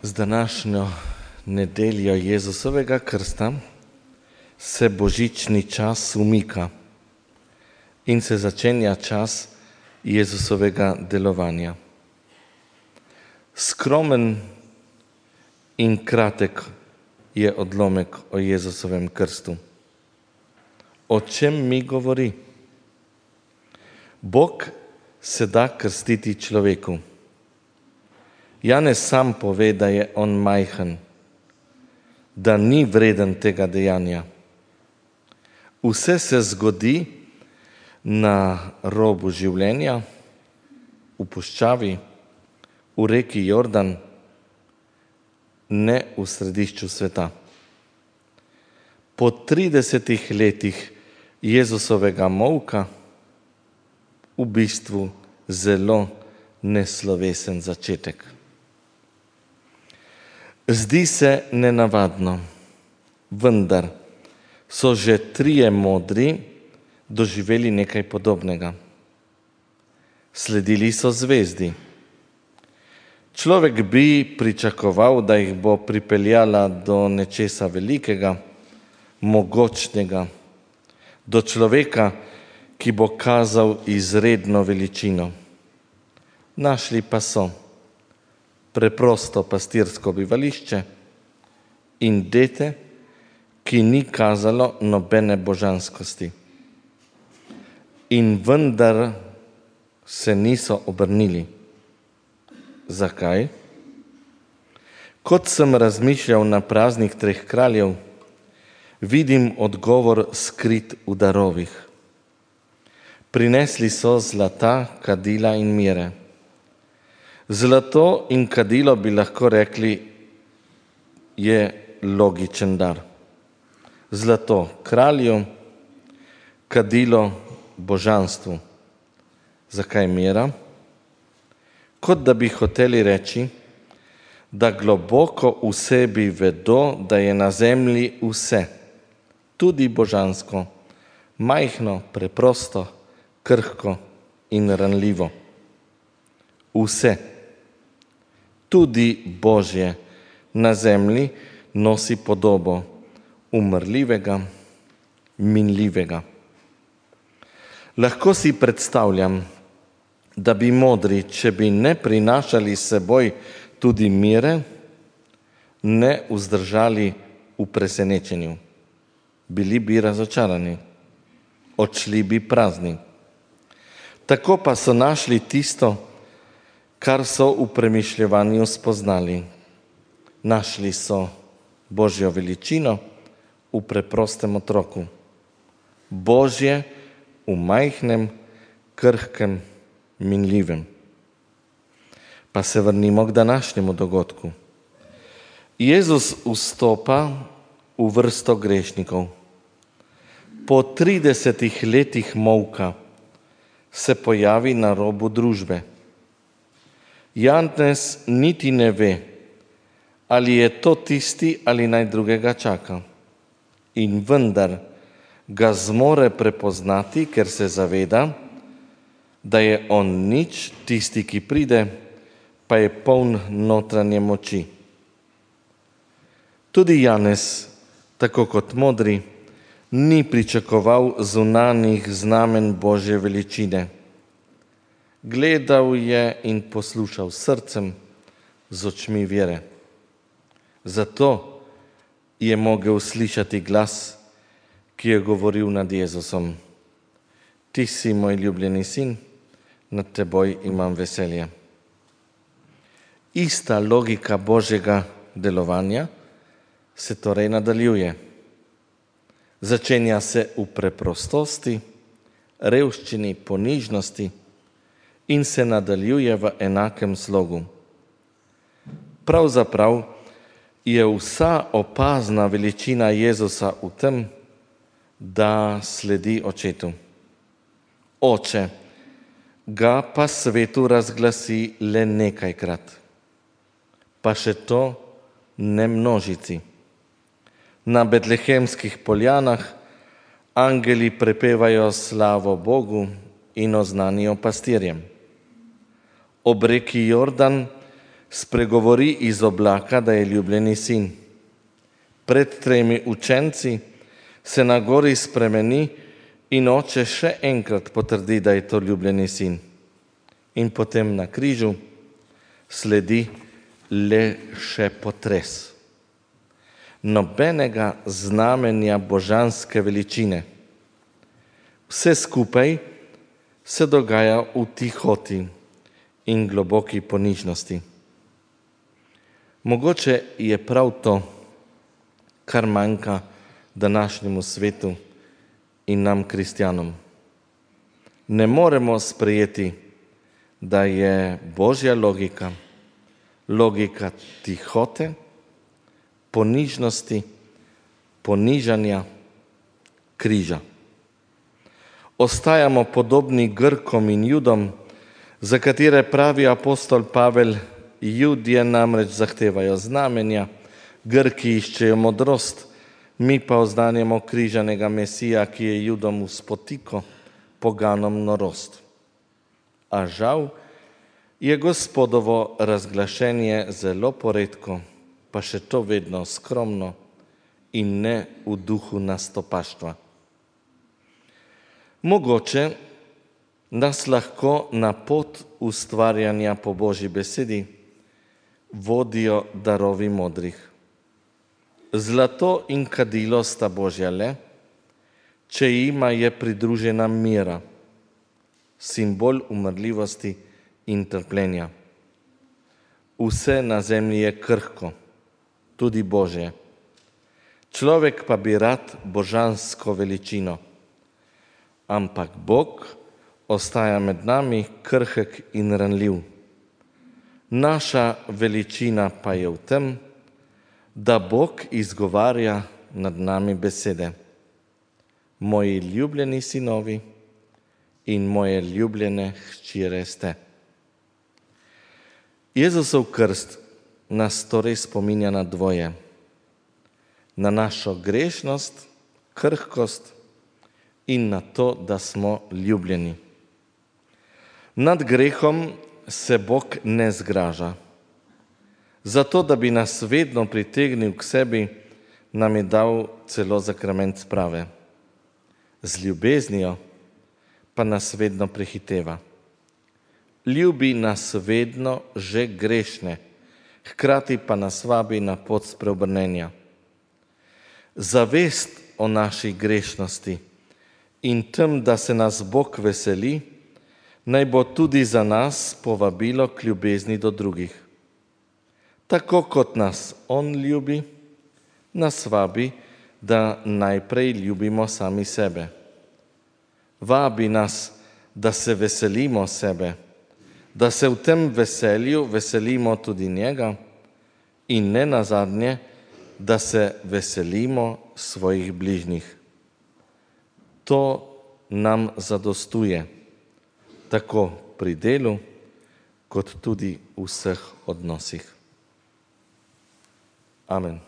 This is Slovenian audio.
Z današnjo nedeljo Jezusovega krsta se božični čas umika in se začenja čas Jezusovega delovanja. Skromen in kratek je odlomek o Jezusovem krstu. O čem mi govori? Bog se da krstiti človeku. Janez sam pove, da je on majhen, da ni vreden tega dejanja. Vse se zgodi na robu življenja, v puščavi, v reki Jordan, ne v središču sveta. Po 30 letih Jezusovega molka, v bistvu zelo neslovesen začetek. Zdi se nenavadno, vendar so že 3 modri doživeli nekaj podobnega. Sledili so zvezdi. Človek bi pričakoval, da jih bo pripeljala do nečesa velikega, mogočnega, do človeka, ki bo kazal izredno veličino. Našli pa so preprosto pastirsko bivališče in dete, ki ni kazalo nobene božanskosti. In vendar se niso obrnili. Zakaj? Kot sem razmišljal na praznik 3 kraljev, vidim odgovor skrit v darovih. Prinesli so zlata, kadila in mire. Zlato in kadilo bi lahko rekli, je logičen dar. Zlato kralju, kadilo božanstvu. Zakaj mira? Kot da bi hoteli reči, da globoko v sebi vedo, da je na zemlji vse, tudi božansko, majhno, preprosto, krhko in ranljivo. Vse, tudi Božje, na zemlji nosi podobo umrljivega, minljivega. Lahko si predstavljam, da bi modri, če bi ne prinašali s seboj tudi mire, ne vzdržali v presenečenju. Bili bi razočarani, odšli bi prazni. Tako pa so našli tisto, kar so v premišljevanju spoznali. Našli so Božjo veličino v preprostem otroku. Božje v majhnem, krhkem, minljivem. Pa se vrnimo k današnjemu dogodku. Jezus vstopa v vrsto grešnikov. Po 30 letih molka se pojavi na robu družbe. Janez niti ne ve, ali je to tisti ali naj drugega čaka. In vendar ga zmore prepoznati, ker se zaveda, da je on nič, tisti, ki pride, pa je poln notranje moči. Tudi Janez, tako kot modri, ni pričakoval zunanjih znamen Božje veličine. Gledal je in poslušal srcem, z očmi vere. Zato je mogel slišati glas, ki je govoril nad Jezusom. Ti si moj ljubljeni sin, nad teboj imam veselje. Ista logika Božjega delovanja se torej nadaljuje. Začenja se v preprostosti, revščini, ponižnosti in se nadaljuje v enakem slogu. Pravzaprav je vsa opazna veličina Jezusa v tem, da sledi očetu. Oče ga pa svetu razglasi le nekajkrat, pa še to ne množici. Na betlehemskih poljanah angeli prepevajo slavo Bogu in oznanijo pastirjem. Ob reki Jordan spregovori iz oblaka, da je ljubljeni sin. Pred 3 učenci se na gori spremeni in oče še enkrat potrdi, da je to ljubljeni sin. In potem na križu sledi le še potres. Nobenega znamenja božanske veličine. Vse skupaj se dogaja v tihoti in globoki ponižnosti. Mogoče je prav to, kar manjka današnjemu svetu in nam, kristjanom. Ne moremo sprejeti, da je božja logika, logika tihote, ponižnosti, ponižanja, križa. Ostajamo podobni Grkom in Judom, za katere pravi apostol Pavel: Judje namreč zahtevajo znamenja, Grki iščejo modrost, mi pa oznanjamo križanega Mesija, ki je Judom v spotiko, poganom norost. A žal je Gospodovo razglašenje zelo poredko, pa še to vedno skromno in ne v duhu nastopaštva. Mogoče nas lahko na pot ustvarjanja po Božji besedi vodijo darovi modrih. Zlato in kadilo sta Božja le, če jima je pridružena mira, simbol umrljivosti in trpljenja. Vse na zemlji je krhko, tudi Božje. Človek pa bi rad božansko veličino, ampak Bog ostaja med nami krhek in ranljiv. Naša veličina pa je v tem, da Bog izgovarja nad nami besede: Moji ljubljeni sinovi in moje ljubljene hčere ste. Jezusov krst nas torej spominja na dvoje: na našo grešnost, krhkost in na to, da smo ljubljeni. Nad grehom se Bog ne zgraža. Zato, da bi nas vedno pritegnil k sebi, nam je dal celo sakrament sprave. Z ljubeznijo pa nas vedno prehiteva. Ljubi nas vedno že grešne, hkrati pa nas vabi na pot spreobrnenja. Zavest o naši grešnosti in tem, da se nas Bog veseli, naj bo tudi za nas povabilo k ljubezni do drugih. Tako kot nas On ljubi, nas vabi, da najprej ljubimo sami sebe. Vabi nas, da se veselimo sebe, da se v tem veselju veselimo tudi njega in ne nazadnje, da se veselimo svojih bližnjih. To nam zadostuje, tako pri delu, kot tudi v vseh odnosih. Amen.